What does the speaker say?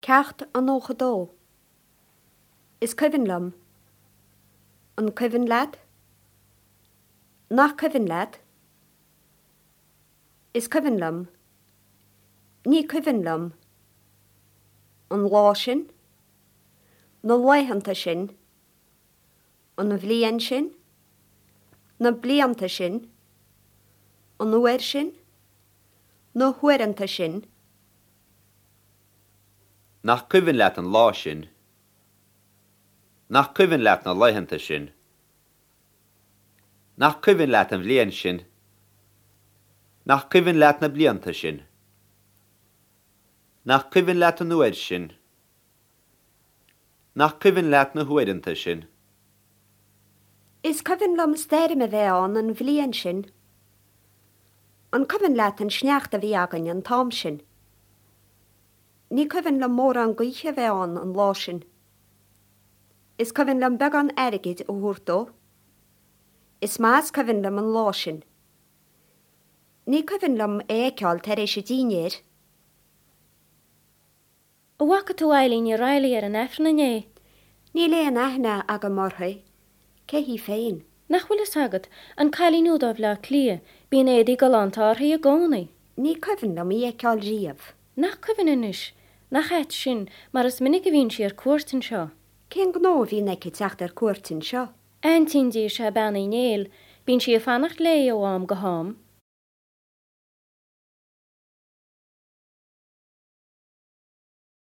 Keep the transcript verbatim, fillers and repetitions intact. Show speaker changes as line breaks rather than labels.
Ceacht a nócha dó. Is cuimhin liom. An cuimhin leat? Nach cuimhin leat? Is cuimhin liom. Ní cuimhin liom. An lá sin? Na laethanta sin? An bhliain sin? Na blianta sin? An uair sin? Na huaireanta sin?
Nach cuimhin leat an lá sin? Nach cuimhin leat na laethanta sin? Nach cuimhin leat an bhliain sin? Nach cuimhin leat na blianta sin? Nach cuimhin leat an uair sin? Nach cuimhin leat na huaireanta sin?
Is cuimhin liom stoirm a bheith ann an bhliain sin. An cuimhin leat an sneachta a bhí againn an t-am sin. Ní cuimhin liom mórán gaoithe a bheith ann an lá sin. Is cuimhin liom beagán airgid a thabhairt dó. Is maith is cuimhin liom an lá sin. Ní cuimhin liom é a fheiceáil tar éis an dinnéir.
An bhfaca tú Eileen O'Reilly ar an Aifreann inné.
Níl aon aithne agam uirthi, cé hí féin.
Nach bhfuil fhios agat an cailín úd ó Bhleá Cliath, bíonn éadaí galánta uirthi i gcónaí.
Ní cuimhin liom í a fheiceáil riamh.
Nach cuimhin anois, nach ait sin mar is minic a bhíonn sí ar cuairt anseo.
Cén gnó a bhíonn aici teacht ar cuairt anseo?
Aintín di is ea Bean Uí Néill, bíonn sí ag fanacht léi ó am go ham.